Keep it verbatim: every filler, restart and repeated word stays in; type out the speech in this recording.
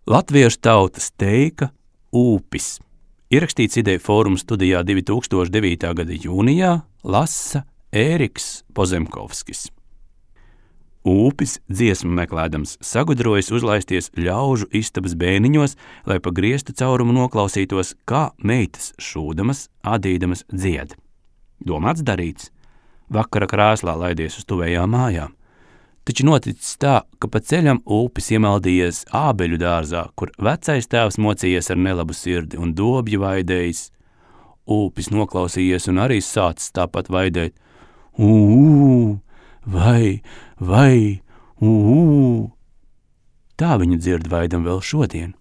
Latviešu tautas teika Ūpis. Ierakstīts Ideju fóruma studijā divi tūkstoši devītā gada jūnijā, lasa Ēriks Pozemkovskis. Ūpis dziesmu meklēdams sagudrojas uzlaisties ļaužu istabas bēniņos, lai pa griestu caurumu noklausītos, kā meitas šūdamas, adīdamas dzied. Domāts darīts. Vakara krēslā laidies uz tuvējām mājām. Taču noticis tā, ka pa ceļam Ūpis iemaldījies ābeļu dārzā, kur vecais tēvs mocījies ar nelabu sirdi un dobju vaidējis. Ūpis noklausījies un arī sācis tāpat vaidēt. Ū, vai, vai, ū. Tā viņu dzird vaidam vēl šodien.